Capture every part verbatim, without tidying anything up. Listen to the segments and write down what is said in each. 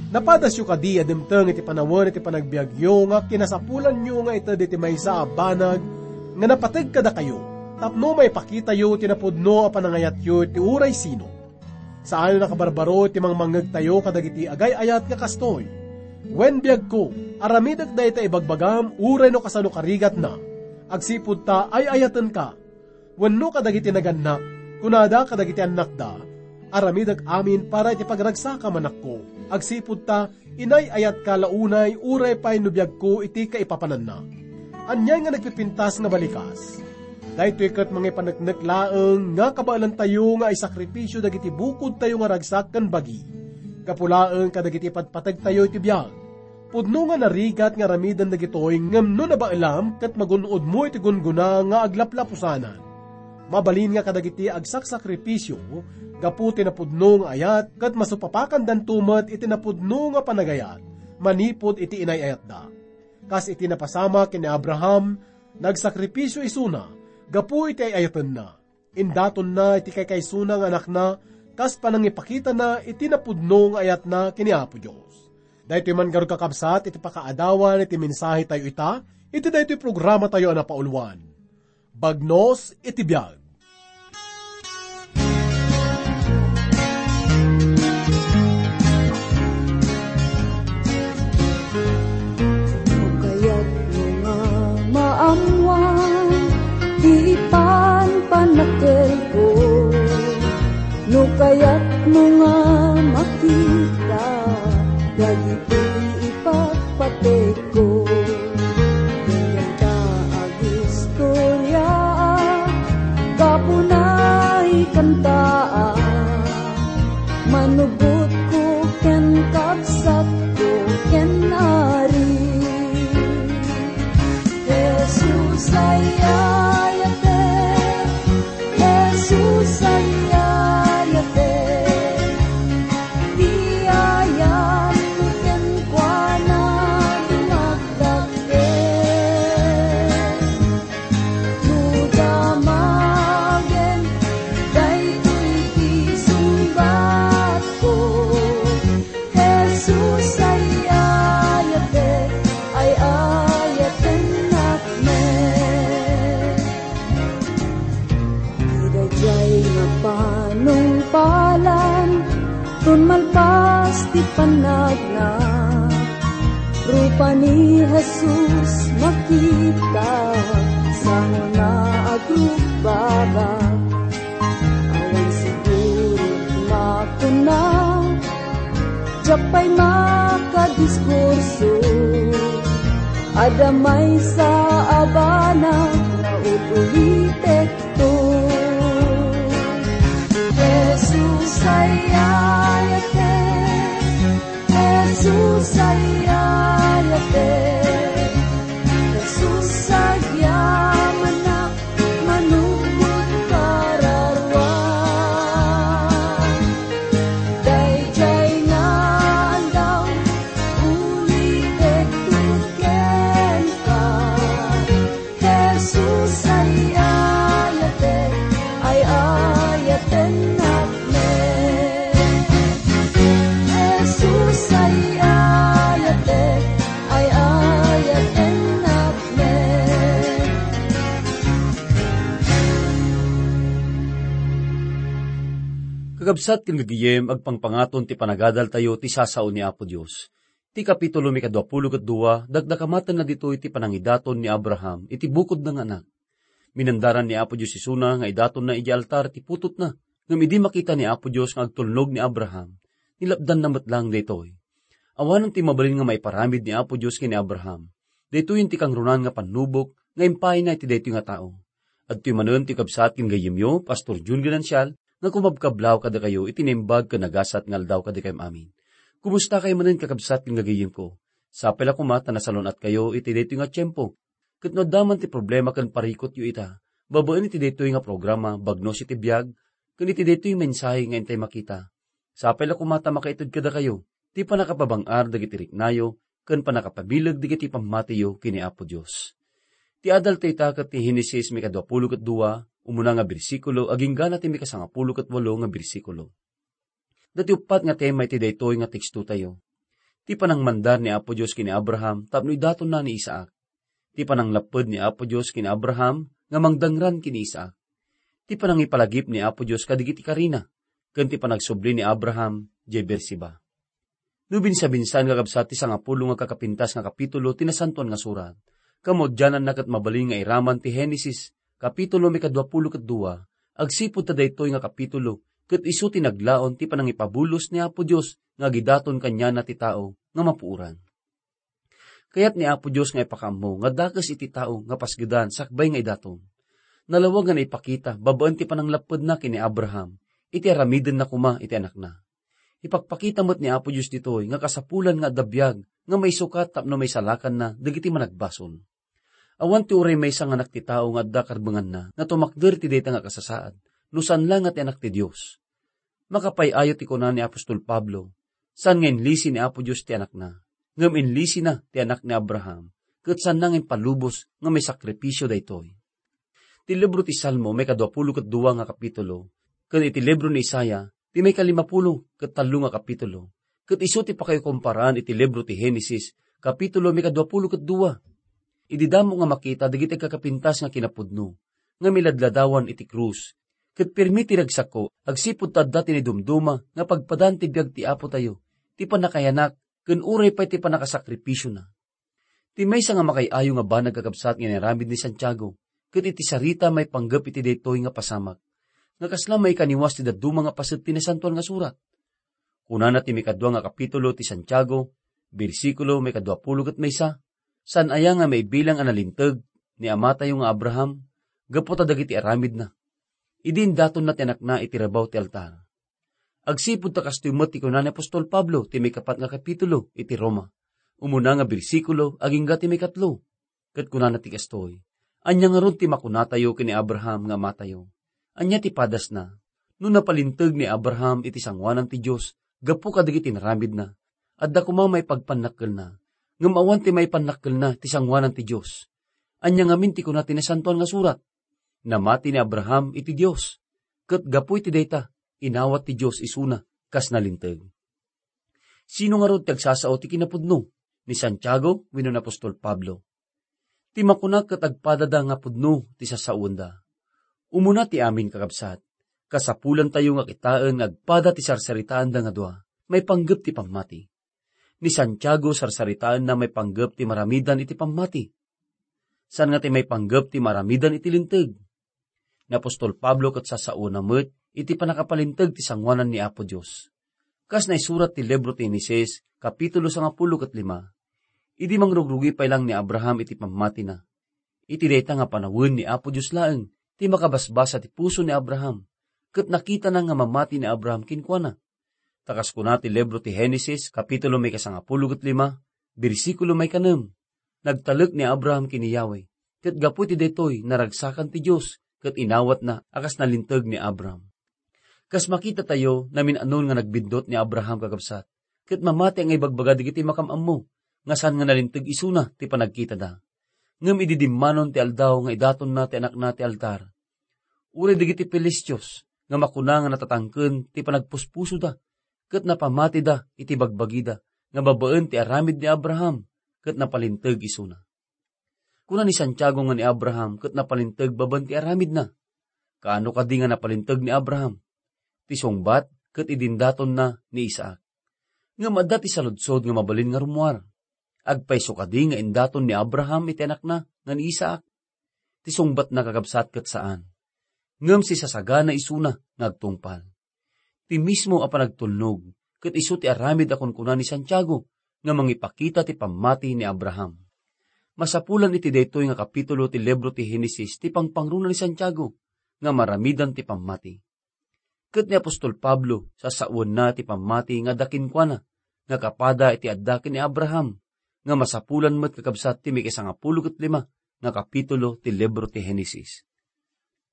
Napadasyo kadi a dimteng iti panawen iti panagbiagyo nga kinasapulanyo nga ited iti maysa a banag nga napateg kadakayo tapno maipakitayo ti napudno a panangayatyo iti uray sino. Saan a nakabarbaro ti mangmangngegtayo kadagiti agay-ayat nga kastoy. Wen, biagko, aramidek dayta ibagbagam uray no kasano karigatna. Agsipud ta ay-ayatenka. Wenno kadagiti nagannak, kunada kadagiti annakda, aramidek amin para iti pagragsakam, anakko. Agsipud ta, inay-ayatka la unay uray pay no biagko iti kaipapananna. Ania nga nagpipintas nga balikas? Daytoy ket mangipaneknek laeng nga kabaelantayo nga isakripisio dagiti bukodtayo nga ragsak ken bagi. Gapu laeng kadagiti patpategtayo iti biag. Pudno nga narigat nga aramiden dagitoy ngem no nabaelam ket magun-odmo iti gunggona nga aglaplapusanan. Mabalin nga kadagiti agsaksakripisio gapu ti napudno nga ayat ket masupapakandanto met iti napudno nga panagayat manipud iti inay-ayatda. Kas iti napasamak ken ni Abraham, nagsakripisio isuna gapu iti ay-ayatenna. Indatonna iti kaykaysona nga anakna kas panangipakitana iti napudno nga ayatna ken ni Apo Dios. Daytoy man garud, kakabsat, iti pakaadawan iti mensahetayo ita iti daytoy programatayo a napauluan, Bagnos iti Biag. No kayatmo nga maammuan ti panpanakelko, no kayatmo nga makita dagiti ipatpategko, denggen ta agistoriaak, gapuna ikantaak, manubotko ken kabsatko ken Ari. Jesus, ay-ayatek. Jesus, ay-ayatek. Ti ayatmo kenkuana dumagdakkel. No damagen daytoy ti sungbatko, Jesus, ay-ayatek, ay-ayatennak met. Ti daydiay nga panungpalan, ton malpas ti panagna, rupa ni Jesus makita, sango nga agrugbaba. Awan siguro makuna, diak pay makadiskurso. Adda maysa a banag nga ul-ulitekto. Jesus, ay-ayatek. Jesus, ay-ayatek. Jesus, agyamanak, manupot kararua. Daydiay nga aldaw, ulitekto kenka. Jesus, ay-ayatek, ay-ayatennak met. Jesus, ay-ayatek, ay-ayatennak met. Kakabsat ken gagayem, agpangpangaton ti panagadaltayo ti sasao ni Apo Dios. Ti kapitulo mikadua pulo ket dua, dakdakamatenna ditoy ti panangidaton ni Abraham iti bukodna nga anak. Minandaran ni Apo Dios isuna nga idatonna idiay altar ti putotna, ngem idi makita ni Apo Dios nga agtulnog ni Abraham, nilapdanna met laeng daytoy. Awanen ti mabalin nga maiparamid ni Apo Dios ken ni Abraham. Daytoyen ti kangrunan nga pannubok nga impayna iti daytoy nga tao. Adtoy manen ti kabsat ken gayyemyo, Pastor Jun Ganancial, nga kumabkablaw kadakayo iti naimbag ken nagasat nga aldaw kadakayam amin. Kumustakayo manen, kakabsat ken gagayyemko? Sapay la koma ta nasalun-atkayo iti daytoy nga tiempo. Ket no adda man ti problema ken parikutyo ita, babaen iti daytoy nga programa, Bagnos iti Biag, ken iti daytoy mensahe nga intay makita, sapay la koma ta makaited kadakayo ti pannakapabang-ar dagiti riknayo ken pannakapabileg dagiti pammatiyo ken ni Apo Dios. Ti adaltayo ita ket ti Genesis mikadua pulo ket dua, umuna nga bersikulo, agingga ti mikasangapulo ket walo nga bersikulo. Daytoy uppat nga tema iti daytoy nga tekstotayo. Ti panangmandar ni Apo Dios ken ni Abraham tapno idatonna ni Isaac. Ti pananglapped ni Apo Dios ken ni Abraham nga mangdangran ken ni Isaac. Ti panangipalagip ni Apo Dios kadagiti karina, ken ti panagsubli ni Abraham diay Beersheba. No binsa-binsan, kakabsat, ti sangapulo nga kakapintas nga kapitulo ti Nasantoan nga Surat, kamaudiananna ket mabalin nga iraman ti Genesis, kapitulo maikadua pulo ket dua, agsipud ta daytoy nga kapitulo ket isu ti naglaon ti panangipabulos ni Apo Dios nga agidaton kaniana ti tao nga mapuoran. Kayat ni Apo Dios nga ipakaammo nga dakes iti tao nga pasgedan sakbay nga idaton. Nalawag nga naipakita babaen ti pananglappedna ken ni Abraham iti aramidenna koma iti anakna. Ipakpakita met ni Apo Dios ditoy nga kasapulan nga adda biag nga maisukat tapno maisalakanna dagiti managbasol. Awan ti uray maysa nga anak ti tao nga adda karbenganna nga tumakder ti dayta nga kasasaad, no saan la nga ti Anak ti Dios. Makapay-ayo ti kuna ni apostol Pablo, saan nga inlisi ni Apo Dios ti Anakna, ngem inlisina ti anak ni Abraham, ket saanna nga impalubos nga maisakripisio daytoy. Ti libro ti Salmo maikadua pulo ket dua nga kapitulo, ken iti libro ni Isaiah, ti maikalimapulo ket tallo nga kapitulo, ket isu ti pakaikomparaan iti libro ti Genesis, kapitulo maikadua pulo ket dua. Idi damo nga makita dagiti agkakapintas nga kinapudno, nga miladladawan iti krus, ket pirmi ti ragsakko, agsipud ta adda ti naidumduma nga pagpadaan ti biag ti Apotayo, ti pannakayanak, ken uray pay ti pannakasakripisiona. Ti maysa nga makay-ayo nga banag, kakabsat, nga inaramid ni Santiago, ket iti sarita maipanggep iti daytoy nga pasamak, nga kasla maikaniwas ti dadduma nga paset ti Nasantoan nga Surat. Kunana ti maikadua nga kapitulo ti Santiago, bersikulo maikadua pulo ket maysa, saan aya nga maibilang a nalinteg ni amatayo nga Abraham gapu ta dagiti aramidna, idi indatonna ti anakna iti rabaw ti altar. Agsipud ta kastoy met ti kuna ni apostol Pablo ti maikapat nga kapitulo iti Roma, umuna nga bersikulo agingga ti maikatlo. Ket kunana ti kastoy, "Ania ngarud ti makunatayo ken ni Abraham nga amatayo? Ania ti padasna? No napalinteg ni Abraham iti sangoanan ti Dios gapu kadagiti inaramidna, adda koma maipagpannakkelna, ngem awan ti maipannakkelna ti sangoanan ti Dios. Ania ngamin ti kuna ti Nasantoan nga Surat? Namati ni Abraham iti Dios, ket gapu iti dayta, inawat ti Dios isuna kas nalinteg." Sino ngarud ti agsasao ti kinapudno? Ni Santiago wenno ni apostol Pablo? Ti makuna ket agpadada nga pudno ti sasaoenda. Umuna ti amin, kakabsat, kasapulantayo nga kitaen nga agpada ti sarsaritaanda nga dua, maipanggep ti pammati. Ni Santiago, sarsaritaenna maipanggep ti maramidan iti pammati. Saan nga ti maipanggep ti maramidan iti linteg. Ni apostol Pablo ket sasaona met iti pannakapalinteg ti sangoanan ni Apo Dios. Kas naisurat ti libro ti Genesis, kapitulo sangapulo ket lima, idi mangrugrugi pay lang ni Abraham iti pammatina, iti dayta nga panawen ni Apo Dios laeng ti makabasbasa ti puso ni Abraham, ket nakitana nga mamati ni Abraham kenkuana. Ta kas kuna ti libro ti Genesis, kapitulo maikasangapulo ket lima, bersikulo maikanem, "Nagtalek ni Abraham ken ni Yahweh, ket gapu iti daytoy, naragsakan ti Dios, ket inawatna a kas nalinteg ni Abraham." Kas makitatayo, namin-anon nga nagbindot ni Abraham, kakabsat, ket mamati nga ibagbaga dagiti makam-ammo nga saan nga nalinteg isuna ti panagkitada. Ngem idi dimmanon ti aldaw nga idatonna ti anakna ti altar, uray dagiti Filistios nga makuna nga natatangken ti panagpuspusoda, ket napamatida iti bagbagida nga babaen ti aramid ni Abraham, ket napalinteg isuna. Kuna ni Santiago nga ni Abraham ket napalinteg babaen ti aramidna. Kaano kadi nga napalinteg ni Abraham? Ti sungbat ket idi indatonna ni Isaac. Ngem adda ti saludsod nga mabalin nga rummuar. Agpayso kadi nga indaton ni Abraham iti anakna nga ni Isaac? Ti sungbatna, kakabsat, ket saan. Ngem sisasagana isuna nga agtungpal. Ti mismo a panagtulnog ket isu ti aramid a kunkuna ni Santiago nga mangipakita ti pammati ni Abraham. Masapulan iti daytoy nga kapitulo ti libro ti Genesis ti pangpangruna ni Santiago nga maramidan ti pammati. Ket ni apostol Pablo, sasawenna ti pammati nga adda kenkuana, nga kapada iti adda ken ni Abraham, nga masapulan met, kakabsat, ti maikasangapulo ket lima nga kapitulo ti libro ti Genesis.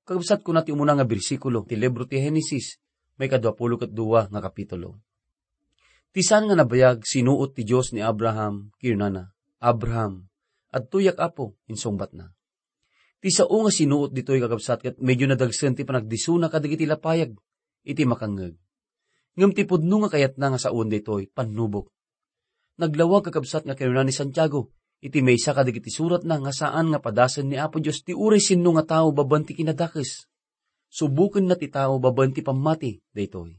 Kakabsat, kuna ti umuna nga bersikulo ti libro ti Genesis, maikadua pulo ket dua nga kapitulo. Ti saan nga nabayag sinuot ti Dios ni Abraham, kinunana, "Abraham." "Adtoyak, Apo," insungbatna. Ti sao nga sinuot ditoy, kakabsat, ket medyo nadagsen ti panagdisuna kadagiti lapayag iti makangngeg. Ngem ti pudno nga kayatna nga saoen daytoy, pannubok. Naglawag, kakabsat, nga kinuna ni Santiago iti maysa kadagiti suratna nga saan nga padasen ni Apo Dios ti uray sinno nga tao babaen ti kinadakes. Subokenna ti tao babaen ti pammati daytoy.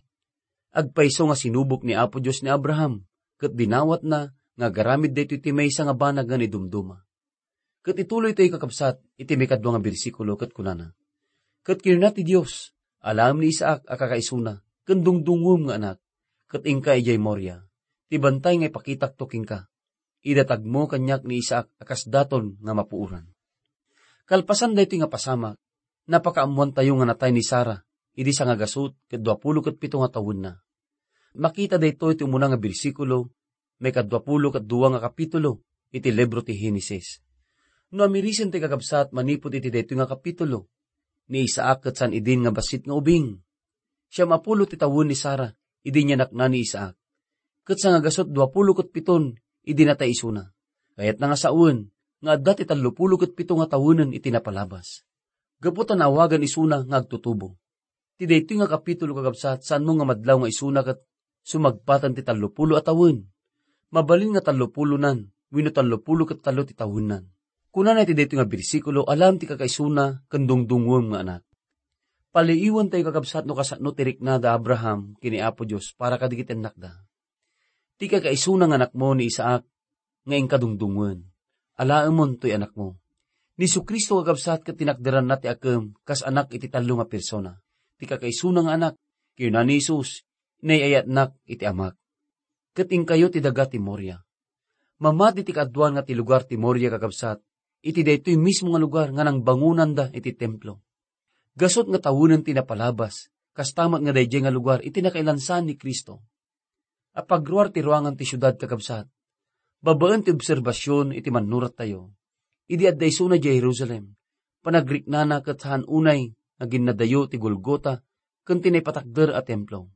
Agpayso nga sinubok ni Apo Dios ni Abraham, ket dinawatna nga agaramid daytoy ti maysa nga banag nga naidumduma. Ket ituloy tayo, kakabsat, iti maikadua nga bersikulo, ket kunana, "Ket kinuna ti Dios, 'Alaem ni Isaac a kakaisuna, ken dungdungngoem nga anak, ket inka idiay Moria, ti bantay nga ipakitakto kenka. Idatagmo kaniak ni Isaac a kas daton nga mapuoran.'" Kalpasan daytoy nga pasamak, napakaammoantayo nga natay ni Sara idi sangagasut ket duapulo ket pito nga tawenna. Makita daytoy ti umuna nga bersikulo, maikadua pulo ket dua nga kapitulo iti libro ti Henesis. No amirisen ti kakabsat manipud iti daytoy nga kapitulo, ni Isaac ket saan idin nga bassit nga ubing. Siam a pulo ti tawen ni Sara idi inyanakna ni Isaac, ket sangagasut duapulo ket piton idi natay isuna. Kayatna nga sawen nga adda ti tallopulo ket pito nga tawenen iti napalabas, gapu ta naawagan isuna nga agtutubo. Ti daytoy nga kapitulo, kakabsat, saanmo nga madlaw nga isuna ket sumagpaten ti tallopulo a tawen. Mabalin nga tallopulonan wenno tallopulo ket tallo ti tawennan. Kunana iti daytoy nga bersikulo, "Alaem ti kakaisuna ken dungdungngoem nga anak." Paliiwentayo, kakabsat, no kasano ti rikna da Abraham ken ni Apo Dios para kadagiti annakda. "Ti kakaisuna nga anakmo ni Isaac nga inka dungdungngoen. Alaemon toy anakmo." Ni Jesu-Cristo, kakabsat, ket tinakderanna ti akem kas anak iti tallo nga persona. Ti kakaisuna nga anak, kinuna ni Jesus, "Inay-ayatnak iti Amak." Ket inkayo ti daga ti Moria. Mamati ti kaaduan nga ti lugar ti Moria, kakabsat, iti daytoy mismo nga lugar nga nangbangonanda iti templo. Gasut nga tawenen ti napalabas, kasta met nga daydiay nga lugar iti nakailansan ni Cristo. Apagruar ti ruangan ti siudad, kakabsat. Babaen ti obserbasion iti mannurattayo, idi adda isuna idiay Jerusalem, panagriknana ket saan unay nga ginnadayo ti Golgota ken ti naipatakder a templo.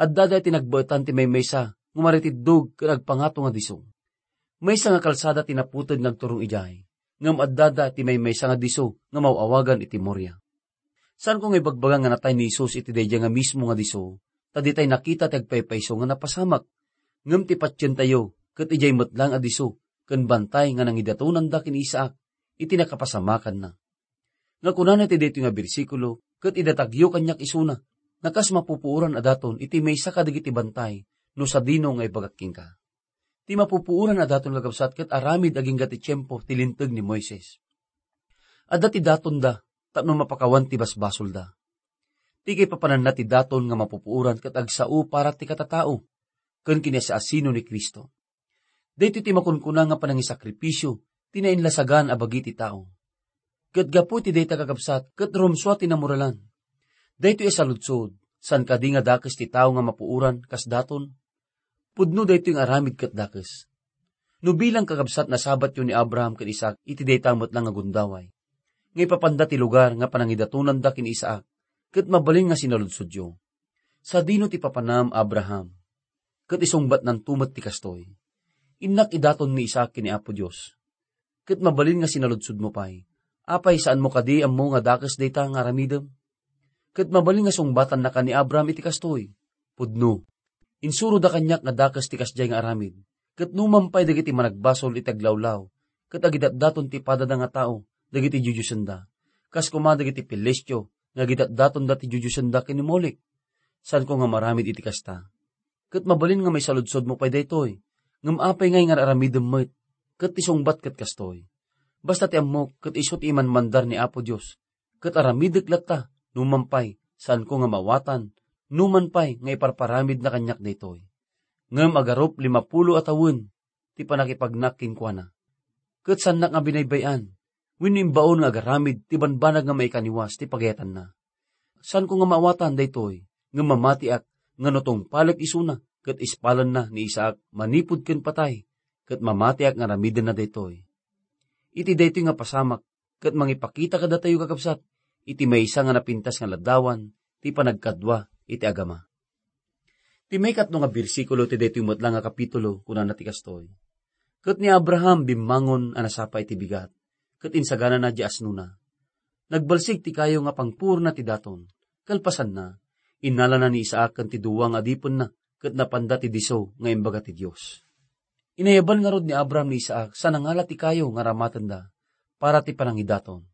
Addada iti nagbaetan ti maymaysa nga umaritiddog ken agpangato nga disso. Maysa nga kalsada ti naputed nga agturong idiay, ngem addada ti maymaysa nga disso nga maw-awagan iti Moria. Saanko nga ibagbaga nga natay ni Jesus iti daydiay nga mismo nga disso, ta ditay nakita ti agpaypayso nga napasamak. Ngem ti patientayo ket idiay met laeng a disso ken bantay nga nangidatonanda ken ni Isaac iti nakapasamakanna. Nga kunana iti daytoy nga bersikulo, "Ket idatagyo kaniak isuna, nga kas mapupuoran a daton iti maysa kadagiti bantay, no sadino nga ibagak kenka." Ti mapupuoran a daton, kakabsat, ket aramid agingga ti tiempo ti Linteg ni Moises. Adda ti datonda tapno mapakawan ti basbasolda. Ti kaipapananna ti daton nga mapupuoran ket agsao para ti katatao ken kinaasi-asino ni Cristo. Daytoy ti makunkuna nga panangisakripisio ti nainlasagan a bagi ti tao. Ket gapu iti dayta, kakabsat, ket rumsua ti namoralan. Daytoy a saludsod, saan kadi nga dakes ti tao nga mapuoran kas daton? Pudno daytoy nga aramid ket dakes. No bilang, kakabsat, nasabatyo ni Abraham ken Isaac iti dayta met la nga gundaway, nga ipapanda ti lugar nga panangidatonanda ken ni Isaac, ket mabalin nga sinaludsodyo, "Sadino ti papanam, Abraham?" Ket isungbatnanto met ti kastoy, "Innak idaton ni Isaac ken ni Apo Dios." Ket mabalin nga sinaludsodmo pay, "Apay, saanmo kadi ammo nga dakes dayta nga aramidem?" Ket mabalin nga sungbatannaka ni Abraham iti kastoy, "Pudno. Insuroda kaniak nga dakes ti kasdiay nga aramid, ket numan pay dagiti managbasol iti aglawlaw, ket agidatdaton ti padada nga tao dagiti diodiosenda, kas koma dagiti Filistio nga agidatdatonda ti diodiosenda ken ni Molek. Saanko nga maaramid iti kasta." Ket mabalin nga maisaludsodmo pay daytoy, ngem apay ngay nga aramidem met? Ket ti sungbat ket kastoy, "Basta ti ammok ket isu ti imanmandar ni Apo Dios, ket aramidek latta, numan pay, saanko nga maawatan, numan pay nga iparparamidna kaniak daytoy." Ngem agarup limapulo a tawen ti pannakipagnak kenkuana. Ket saannak nga binaybay-an wenno imbaon nga agaramid ti banbanag nga maikaniwas ti pagayatanna. Saanko nga maawatan daytoy, ngem mamatiak nga no tungpalek isuna ket ispalanna ni Isaac manipud ken patay, ket mamatiak nga aramidenna daytoy. Iti daytoy nga pasamak, ket mangipakita kadatayo, kakabsat, iti maysa nga napintas nga ladawan ti panagkadua iti agama. Ti maikatlo nga bersikulo ti daytoy met la nga kapitulo, kunana ti kastoy, "Ket ni Abraham bimmangon a nasapa iti bigat, ket insaganana ti asnona. Nagbalsig ti kayo nga pangpuorna ti daton. Kalpasanna, innalana ni Isaac ken ti dua nga adipenna, ket napanda ti disso nga imbaga ti Dios." Inayaban ngarud ni Abraham ni Isaac sa nangala ti kayo nga aramatenda para ti panangidaton.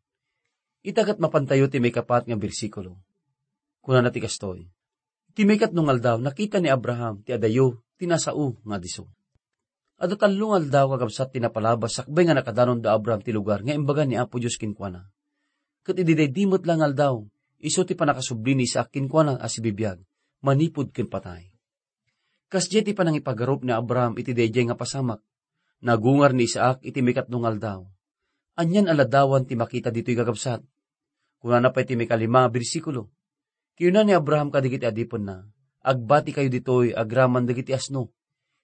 Ita ket mapantayo ti maikapat nga bersikulo. Kunana ti kastoy, "Ti maikatlo nga aldaw, nakita ni Abraham ti adayo ti nasao nga disso." Adda tallo nga aldaw kakabsat ti napalabas sakbay nga nakadanon da Abraham ti lugar nga imbaga ni Apo Dios kenkuana. Ket idi daydi met la nga aldaw, isu ti pannakasubli ni Isaac kenkuana a sibibiag, manipud ken patay. Kasdiay ti panangipagarup ni Abraham iti daydiay nga pasamak. Nagungar ni Isaac iti maikatlo nga aldaw. Anian a ladawan ti makita ditoy kakabsat? Kunana pay ti maikalima a bersikulo, "Kinuna ni Abraham kadagiti adipenna, 'Agbatikayo ditoy agraman dagiti asno.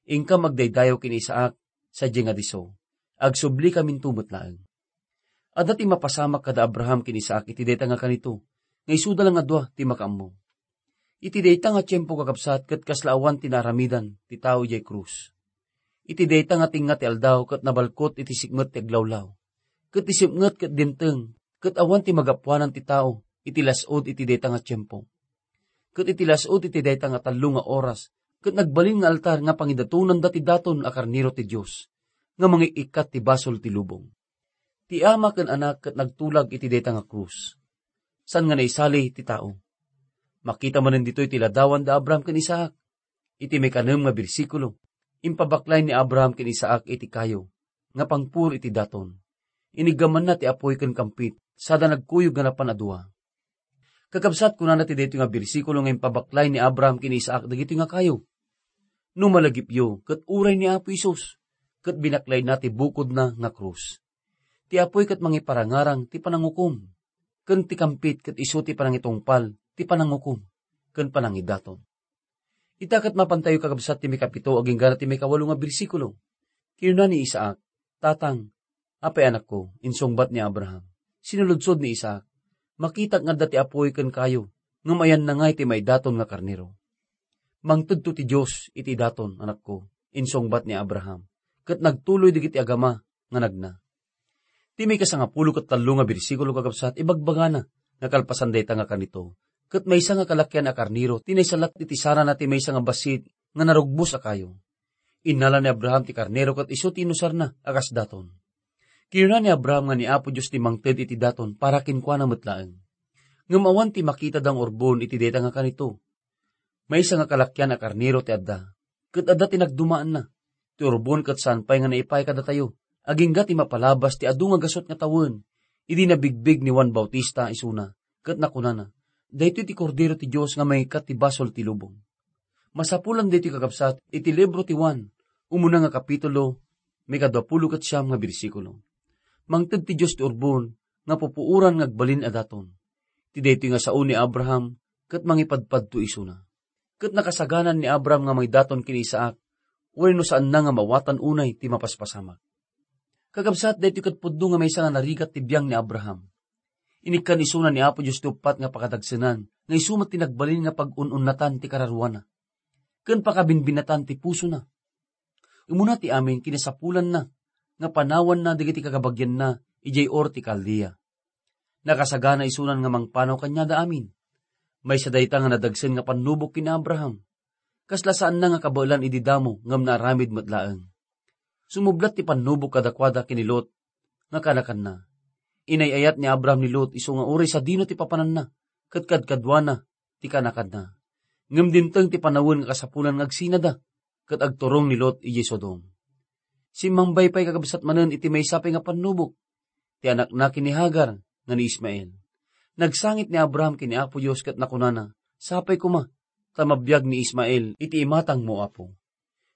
Inkam agdaydayaw ken Isaac sadiay nga disso. Agsublikam into met laeng.'" Adda ti mapasamak kada Abraham ken Isaac iti dayta nga kanito, nga isuda la nga dua ti makaammo. Iti dayta nga tiempo, kakabsat, ket kasla awan ti naaramidan ti tao idiay krus. Iti dayta nga tengnga ti aldaw ket nabalkot iti sipnget ti aglawlaw. Ket ti sipnget ket dimteng, ket awan ti magapuanan ti tao iti las-ud iti dayta nga tiempo. Ket iti las-ud iti dayta nga tallo nga oras, ket nagbalin nga altar nga pangidatonanda ti daton a karnero ti Dios, nga mangik-ikkat ti basol ti lubong. Ti Ama ken Anak ket nagtulag iti dayta nga krus. Saan nga naisali ti tao. Makita manen ditoy ti ladawan da Abraham ken Isaac. Iti maikanem nga bersikulo, impabaklay ni Abraham ken Isaac iti kayo nga pangpuro iti daton. Iniggamanna ti apuy ken kampit, sada nagkuyog nga napan a dua. Kakabsat, kunana ti daytoy nga bersikulo nga impabaklay ni Abraham ken Isaac dagitoy nga kayo, "No malagipyo, ket uray ni Apo Jesus, ket binaklayna ti bukodna nga krus. Ti apuy ket mangiparangarang ti panangukom, ken ti kampit ket isu ti panangitungpal ti panangukom ken panangidaton." Ita ket mapantayo, kakabsat, ti maikapito agingga ti maikawalo nga bersikulo. Kinuna ni Isaac, "Tatang, apay, anakko?" insungbat ni Abraham. Sinulodsod ni Isaac, "Makitak nga adda ti apuy ken kayo, ngem ayanna ngay ti maidaton nga karnero?" "Mangtedto ti Dios iti idaton, anakko," insungbat ni Abraham, ket nagtuloy dagiti agama nga nagna. Ti maikasangapulo ket tallo nga bersikulo, kakabsat, ibagbagana nga kalpasan dayta nga kanito, ket maysa nga kalakian a karnero ti naisalat iti sarana ti maysa nga bassit nga narugbos a kayo. Innala ni Abraham ti karnero ket isu ti inusarna a kas daton. Kinuna ni Abraham nga ni Apo Dios ti mangted iti daton para kenkuana met laeng. Ngem awan ti makitada nga urbon iti dayta nga kanito. Maysa nga kalakian a karnero ti adda, ket adda ti nagdumaanna. Ti urbon ket saan pay nga naipaay kadatayo, agingga ti mapalabas ti adu nga gasut nga tawen, idi nabigbig ni Juan Bautista isuna, ket nakunana, "Daytoy ti Kordero ti Dios nga mangikkat ti basol ti lubong." Masapulan daytoy, kakabsat, iti libro ti Juan, umuna nga kapitulo, maikadua pulo ket siam nga bersikulo. Mangted ti Dios ti urbon nga pupuoran nga agbalin a daton. Ti daytoy nga sao ni Abraham ket mangipadpadto isuna. Ket nakasaganan ni Abraham nga mangidaton ken ni Isaac, wenno saanna nga maawatan unay ti mapaspasamak. Kakabsat, daytoy ket pudno nga maysa nga narigat ti biang ni Abraham. Inikkan isuna ni Apo Dios ti uppat nga pakadagsenan, nga isu met ti nagbalin nga pag-un-unnatan ti kararuana, ken pakabinbinatan ti pusona. Umuna ti amin, kinasapulanna nga panawanna dagiti kakabagianna idiay Ur ti Caldea. Nakasagana isunan nga mangpanaw kaniada amin. Maysa dayta nga nadagsen nga pannubok ken ni Abraham. Kasla saanna nga kabaelan idi damo ngem naaramid met laeng. Sumublat ti pannubok kadakuada ken ni Lot nga kaanakanna. Inay-ayat ni Abraham ni Lot isu nga uray sadino ti papananna ket kadkaduana ti kaanakanna. Ngem dimteng ti panawen nga kasapulan nga agsinada ket agturong ni Lot idiay Sodom. Simmambay pay, kakabsat, manen iti maysa pay nga pannubok, ti anakna ken ni Hagar nga ni Ismael. Nagsangit ni Abraham ken ni Apo Dios ket nakunana, "Sapay koma, ta mabiag ni Ismael iti imatangmo, Apo."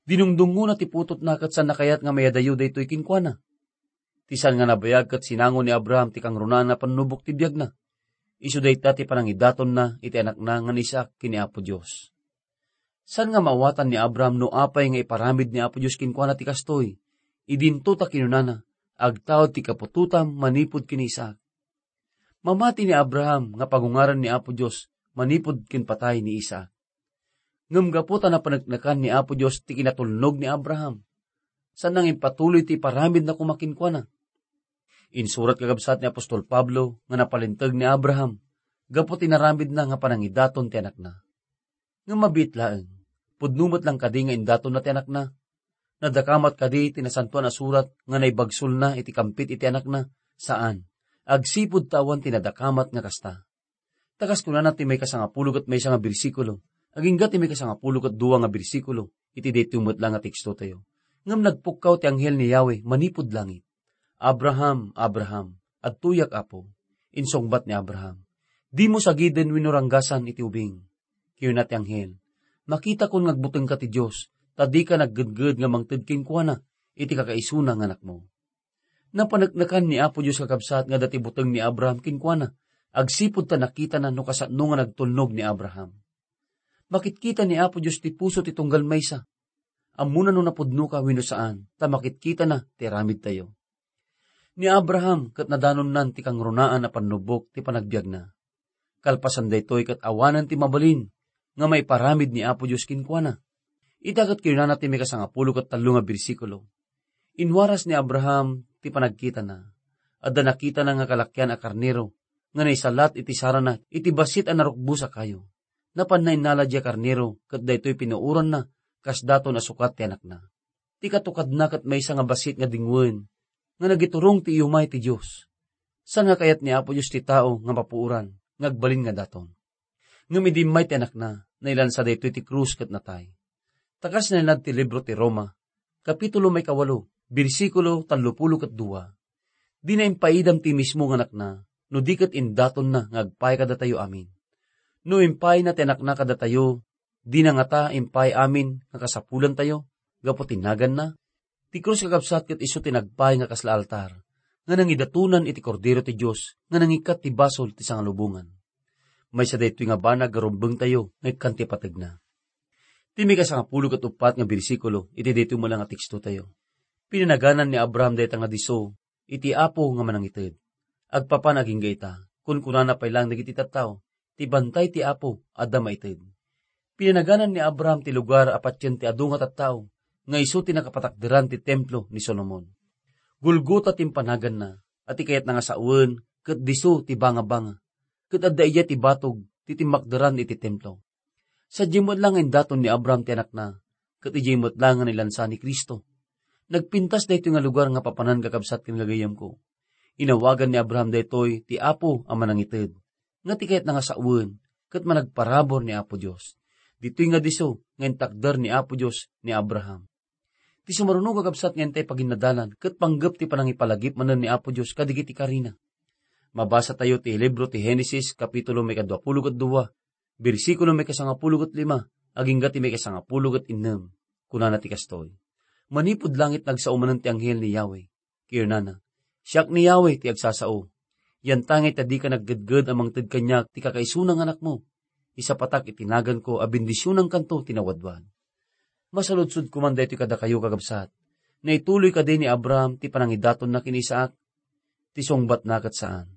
Dinungdungngona ti putotna ket saanna kayat nga mayadayo daytoy kenkuana. Ti saan nga nabayag ket sinango ni Abraham ti kangrunaan a pannubok ti biagna. Isu dayta ti panangidatonna iti anakna nga ni Isaac ken ni Apo Dios. Saan nga maawatan ni Abraham no apay nga iparamid ni Apo Dios kenkuana ti kastoy, idinto ta kinunana, "Agtaud ti kaputotam manipud ken ni Isaac." Mamati ni Abraham nga pagungaren ni Apo Dios manipud ken patay ni Isaac. Ngem gapu ta napaneknekan ni Apo Dios ti kinatulnog ni Abraham, saanna nga impatuloy ti iparamidna koma kenkuana. Insurat kakabsat ni apostol Pablo nga napalinteg ni Abraham gapu ti naramidna nga panangidaton ti anakna. Ngem mabiit laeng, pudno met lang kadi nga indatonna ti anakna. Nadakamat kadi ti Nasantoan a Surat nga naibagsolna iti kampit iti Anakna? Saan. Agsipud ta awan ti nadakamat nga kasta. Ta kas kunana ti maikasangapulo ket maysa nga bersikulo, agingga ti maikasangapulo ket dua nga bersikulo, iti daytoy met la nga tekstotayo. Ngem nagpukkaw ti anghel ni Yahweh manipud langit. "Abraham, Abraham." "Adtoyak, Apo," insungbat ni Abraham. "Dimo sagiden wenno ranggasan iti ubing." Kinuna ti anghel, "Makitakon nga agbutengka ti Dios, ta dika naggedged nga mangted kenkuana iti kakaisuna nga anakmo." Napaneknekan ni Apo Dios, kakabsat, nga adda ti buteng ni Abraham kenkuana, agsipud ta nakitana no kasano nga nagtulnog ni Abraham. Makitkita ni Apo Dios ti puso ti tunggal maysa. Ammona no napudnoka wenno saan, ta makitkitana ti aramidtayo. Ni Abraham ket nadanonnan ti kangrunaan a pannubbok ti panagbiagna. Kalpasan daytoy ket awanen ti mabalin nga maiparamid ni Apo Dios kenkuana. Ita ket kinunana ti maikasangapulo ket tallo nga bersikulo, "Inwaras ni Abraham ti panagkitana. Adda nakitana nga kalakian a karnero nga naisalat iti sarana iti bassit a narukbos a kayo. Napanna innala diay karnero ket daytoy pinuoranna kas daton a sukat ti anakna. Ti katukadna ket maysa nga bassit nga dingwen nga nagiturong ti iyumay ti Dios. Saan nga kayat ni Apo Dios ti tao nga mapuoran nga agbalin nga daton. Ngem idi immay ti anakna, nailansa daytoy ti krus ket natay." Ta kas nailad ti libro ti Roma, kapitulo maikawalo, bersikulo tallopulo ket dua, "Dina impaidam ti mismo nga anakna, no di ket indatonna nga agpay kadatayo amin. No impayna ti anakna kadatayo, dina ngata impay amin nga kasapulantayo gapu ti naganna? Ti krus, kakabsat, ket isu ti nagpay nga kasla altar nga nangidatonan iti Kordero ti Dios nga nangikkat ti basol ti sangalubongan." Maysa daytoy nga banag nga rumbengtayo nga ikkan ti pategna. Ti maikasangapulo ket uppat nga bersikulo iti daytoy met la nga tekstotayo, "Pinanaganan ni Abraham dayta nga disso iti Apo nga manangited. Agpapan agingga ita, kunkunana pay laeng dagiti tattao, ti bantay ti Apo adda maited." Pinanaganan ni Abraham ti lugar a patien ti adu nga tattao nga isu ti nakapatakderan ti templo ni Solomon. Golgota ti impanaganna, a ti kayatna nga sawen ket disso ti bangabanga, ket adda idiay ti batog ti timmakderan iti templo. Sadiay met la nga indaton ni Abraham ti anakna, ket idiay met la nga nailansa ni Cristo. Nagpintas daytoy nga lugar nga papanan, kakabsat ken gagayyemko. Inawagan ni Abraham daytoy ti Apo a manangited, nga ti kayatna nga sawen, ket managparabur ni Apo Dios. Ditoy nga disso nga intakder ni Apo Dios ni Abraham. Ti sumaruno, kakabsat, nga intay paginnadalan ket panggep ti panangipalagip manen ni Apo Dios kadagiti karina. Mabasatayo ti libro ti Genesis, kapitulo maikaduapulo ket dua, bersikulo maikasangapulo ket lima, agingga ti maikasangapulo ket innem. Kunana ti kastoy, "Manipud langit, nagsao manen ti anghel ni Yahweh. Kinunana, 'Siak ni Yahweh ti agsasao. Yantangay ta dika naggedged a mangted kaniak ti kakaisuna nga anakmo. Isapatak iti naganko a bendisionankanto ti nawadwad.'" Masaludsodko man daytoy kadakayo, kakabsat. Naituloy kadi ni Abraham ti panangidatonna ken ni Isaac? Ti sungbatna ket saan.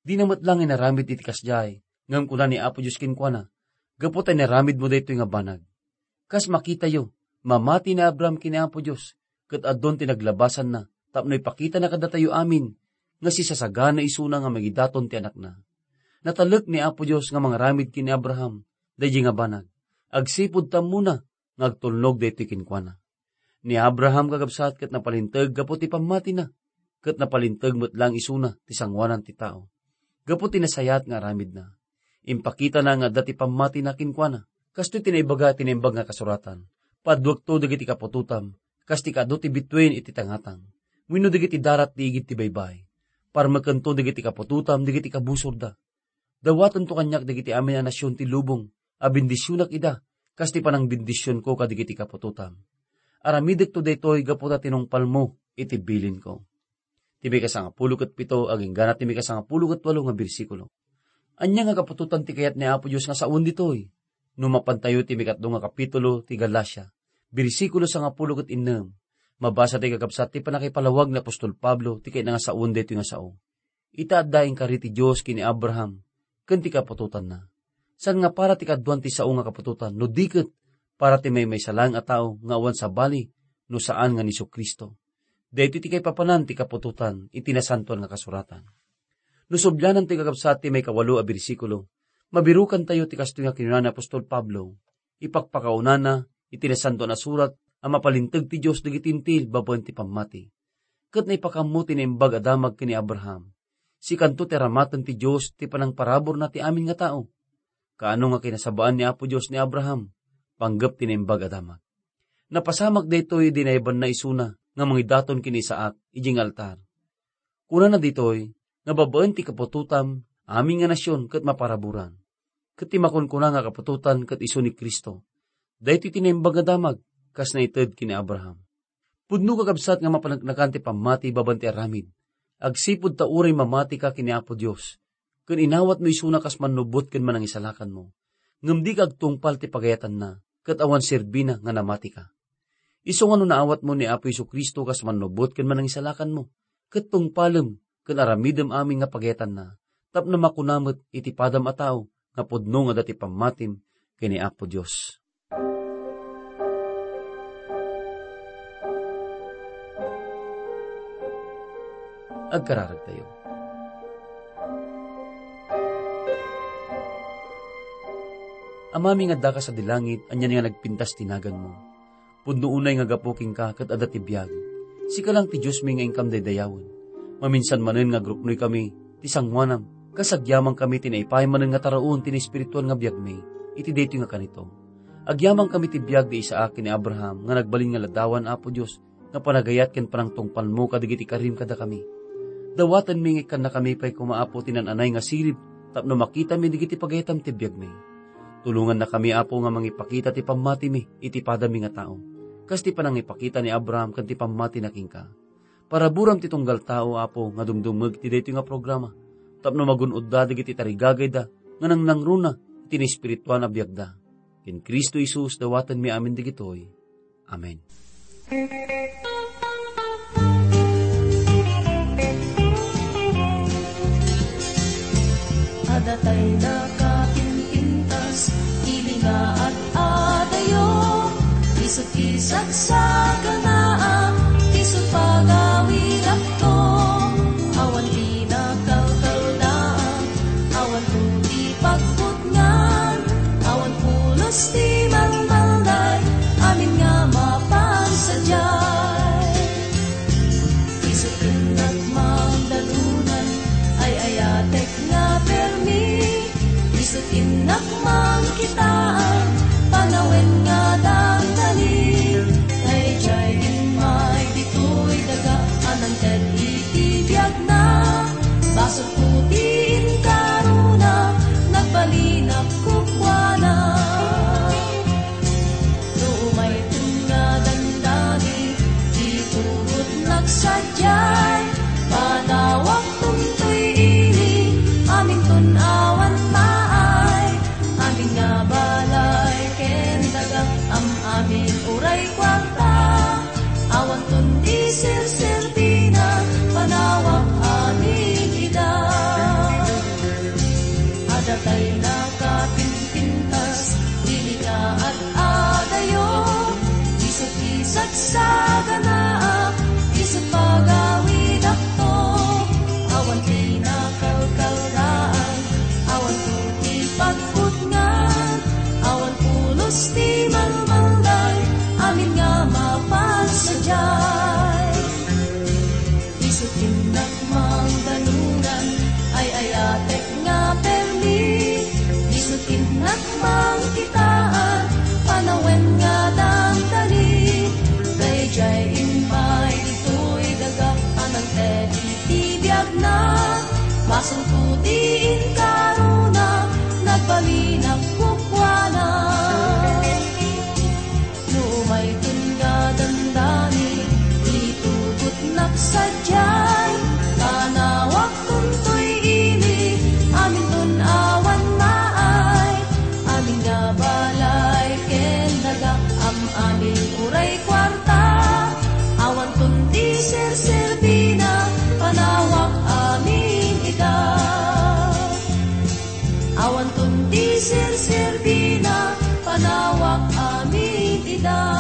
Dina met la nga inaramid iti kasdiay, ngem kuna ni Apo Dios kenkuana, "Gapu ta inaramidmo daytoy nga banag." Kas makitayo, mamati ni Abraham ken ni Apo Dios, ket adun ti naglabasanna tapno ipakitana kadatayo amin nga sisasagana isuna nga mangidaton ti anakna. Natalek ni Apo Dios nga mangaramid ken ni Abraham daydiay nga banag, agsipud ta ammona nga agtulnog daytoy kenkuana. Ni Abraham, kakabsat, ket napalinteg gapu ti pammatina, ket napalinteg met laeng isuna ti sangoanan ti tao. Gapu ti nasayaat nga aramidna, impakitana nga adda ti pammatina kenkuana. Kastoy ti naibaga ti Naimbag nga Kasuratan, "Paduekto dagiti kaputotam, kas ti kaadu ti bituen iti tangatang, wenno dagiti darat ti igid ti baybay. Parmekento dagiti kaputotam dagiti kabusorda. Dawatento kaniak dagiti amin a nasion ti lubong a bendisionak ida, kas ti panangbendisionko kadagiti kaputotam. Aramidekto daytoy gapu ta tinungpalmo iti bilinko." Ti maikasangapulo ket pito agingga ti maikasangapulo ket walo nga bersikulo. Ania nga kaputotan ti kayat ni Apo Dios nga sawen ditoy? No mapantayo ti maikatlo nga kapitulo ti Galacia, bersikulo sangapulo ket innem, mabasa ti, kakabsat, ti pannakipalawag ni apostol Pablo ti kayatna nga sawen daytoy nga sao. Ita adda inkari ti Dios ken ni Abraham ken ti kaputotanna. Saan nga para ti kaduan ti sao nga kaputotan, no di ket para ti maymaysa laeng a tao nga awan sabali no saan nga ni Jesu-Cristo. Daytoy ti kaipapanan ti kaputotan iti Nasantoan nga Kasuratan. No sublianantayo, kakabsat, ti maikawalo a bersikulo, mabirukantayo ti kastoy nga kinuna ni apostol Pablo, ipakpakaunana iti Nasantoan a Surat a mapalinteg ti Dios dagiti Hentil babaen ti pammati. Ket naipakammo ti Naimbag a Damag ken ni Abraham. Sikanto ti aramaten ti Dios ti panangparaburna ti amin nga tao. Kaano nga kinasabaan ni Apo Dios ni Abraham? Panggep ti Naimbag a Damag. Napasamak daytoy idi naibanna isuna nga mangidaton ken ni Isaac idiay nga altar. Kunana ditoy nga babaen ti kaputotam, amin nga nasion ket maparaburan. Ket ti makunkuna nga kaputotan ket isu ni Cristo. Daytoy ti Naimbag a Damag, kas naited ken ni Abraham. Pudno, kakabsat, nga mapaneknekan ti pammati babaen ti aramid. Agsipud ta uray mamatika ken ni Apo Dios, ken inawatmo isuna kas mannubot ken manangisalakanmo. Ngem dika agtungpal ti pagayatanna, ket awan serbina nga namatika. Isu nga no naawatmo ni Apo Jesu-Cristo kas mannubot ken manangisalakanmo, ket tungpalem ken aramidem amin nga pagayatanna, tapno makuna met iti padam a tao nga pudno nga adda ti pammatim ken ni Apo Dios. Agkararagtayo. Amami nga addaka sadi langit, ania nga nagpintas ti naganmo. Pudno unay nga gapu kenka ket adda ti biag. Sika lang ti Diosmi nga inkam daydayawen. Maminsan manen nga agruknoykami ti sangoanam, kas agyamankami ti naipaay manen nga taraon ti naespirituan nga biagmi iti daytoy nga kanito. Agyamankami ti biag ni Isaac ken ni Abraham nga nagbalin nga ladawan, Apo Dios, nga panagayat ken panangtungpalmo kadagiti karim kadakami. Dawatenmi nga ikkannakami pay koma, Apo, ti naan-anay nga sirib tapno makitami dagiti pagayatam ti biagmi. Tulongannakami, Apo, nga mangipakita ti pammatimi iti padami nga tao, kas ti panangipakita ni Abraham ken ti pammatina kenka. Paraburam ti tunggal tao, Apo, nga dumdumngeg iti daytoy nga programa, tapno magun-odda dagiti tarigagayda nga nangnangruna iti naespirituan a biagda. Ken Cristo Jesus, dawatenmi amin dagitoy. Amen. Adda tay nakapinpintas, ili nga ad-adayo, isu ti sagsaganaak, isu pagawidakto, awan ti nakalkaldaak, awan ti pagputngan, awan pulos ti malmalday, amin nga mapan sadiay. Isu ti innak mangdanunan, ay-ayatek nga permi. Isu ti innak mangkitaan, panawen nga dandani. Daydiay immay ditoy daga a nangted iti biagna. Basolko ti inkarona, nagbalinak kukuana. No umayton nga dandani, itugotnak sadiay, panawakton toy ili, aminton awan maay, amin nga balay ken daga, am-amin uray kuarta, awanton ti serserbina, panawak amin ida. Adda tay nakapinpintas, dili nga ad-adayo, isu ti sagsaganaak, isu pagawidakto, awan ti nakalkaldaak, awan ti pagputngan, awan pulos ti malmalday, amin nga mapan sadiay. Isu ti innak mangdanunan, ay-ayatek nga permi. Isu ti innak mangkitaan, panawen nga dandani. Daydiay immay ditoy daga a nangted iti biagna. Basolko ti inkarona, nagbalinak kukuana. No umayton nga dandani, itugotnak sadiay, panawakton toy ili, aminton awan maay, amin nga balay ken daga, am-amin uray kuarta, awanton ti serserbina, panawak amin ida. Awanton ti serserbina, panawak amin ida.